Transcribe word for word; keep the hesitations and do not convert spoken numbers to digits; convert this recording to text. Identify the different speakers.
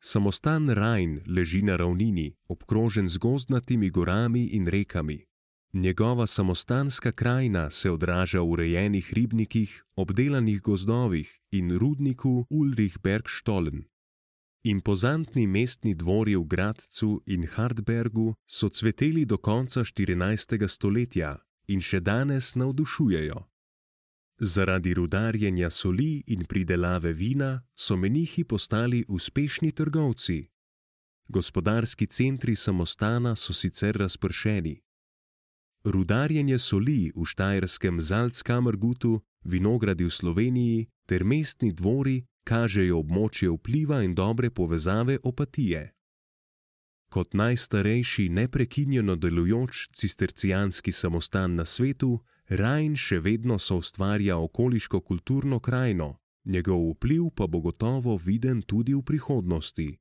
Speaker 1: Samostan Rajn leži na ravnini, obkrožen z gozdnatimi gorami in rekami. Njegova samostanska krajina se odraža v urejenih ribnikih, obdelanih gozdovih in rudniku Ulrichbergstollen. Impozantni mestni dvori v Gradcu in Hartbergu so cveteli do konca štirinajstega stoletja in še danes navdušujejo. Zaradi rudarjenja soli in pridelave vina so menihi postali uspešni trgovci. Gospodarski centri samostana so sicer razpršeni. Rudarjenje soli v štajerskem Salzkammergutu, vinogradi v Sloveniji ter mestni dvori kažejo območje vpliva in dobre povezave Opatije. Kot najstarejši neprekinjeno delujoč cistercijanski samostan na svetu, Rajn še vedno soustvarja okoliško kulturno krajino, njegov vpliv pa bo gotovo viden tudi v prihodnosti.